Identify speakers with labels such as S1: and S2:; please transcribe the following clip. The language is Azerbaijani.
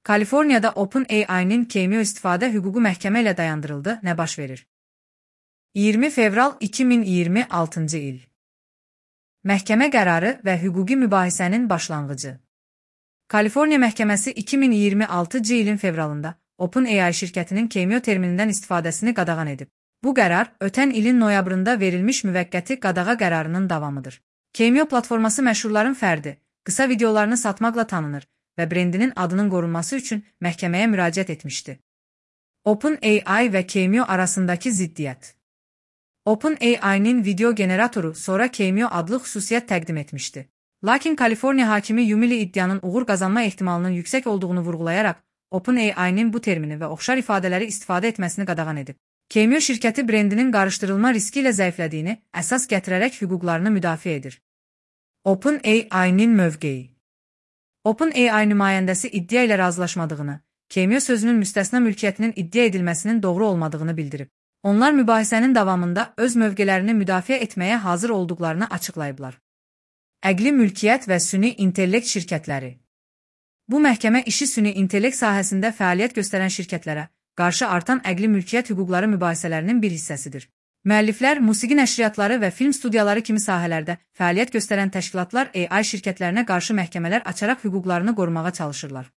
S1: Kaliforniyada OpenAI'nin Cameo istifadə hüququ məhkəmə ilə dayandırıldı. Nə baş verir? 20 fevral 2026-cı il. Məhkəmə qərarı və hüquqi mübahisənin başlanğıcı. Kaliforniya məhkəməsi 2026-cı ilin fevralında OpenAI şirkətinin Cameo terminindən istifadəsini qadağan edib. Bu qərar, ötən ilin noyabrında verilmiş müvəqqəti qadağa qərarının davamıdır. Cameo platforması məşhurların fərdi, qısa videolarını satmaqla tanınır və brendinin adının qorunması üçün məhkəməyə müraciət etmişdi. OpenAI və Cameo arasındakı ziddiyyət. OpenAI'nin video generatoru sonra Cameo adlı xüsusiyyət təqdim etmişdi. Lakin Kaliforniya hakimi Yumili iddianın uğur qazanma ehtimalının yüksək olduğunu vurğulayaraq, OpenAI'nin bu termini və oxşar ifadələri istifadə etməsini qadağan edib. Cameo şirkəti brendinin qarışdırılma riski ilə zəiflədiyini əsas gətirərək hüquqlarını müdafiə edir. OpenAI'nin mövqeyi. OpenAI nümayəndəsi iddia ilə razılaşmadığını, Cameo sözünün müstəsna mülkiyyətinin iddia edilməsinin doğru olmadığını bildirib. Onlar mübahisənin davamında öz mövqelərini müdafiə etməyə hazır olduqlarını açıqlayıblar. Əqli mülkiyyət və süni intellekt şirkətləri. Bu məhkəmə işi süni intellekt sahəsində fəaliyyət göstərən şirkətlərə qarşı artan əqli mülkiyyət hüquqları mübahisələrinin bir hissəsidir. Müəlliflər, musiqi nəşriyyatları və film studiyaları kimi sahələrdə fəaliyyət göstərən təşkilatlar AI şirkətlərinə qarşı məhkəmələr açaraq hüquqlarını qorumağa çalışırlar.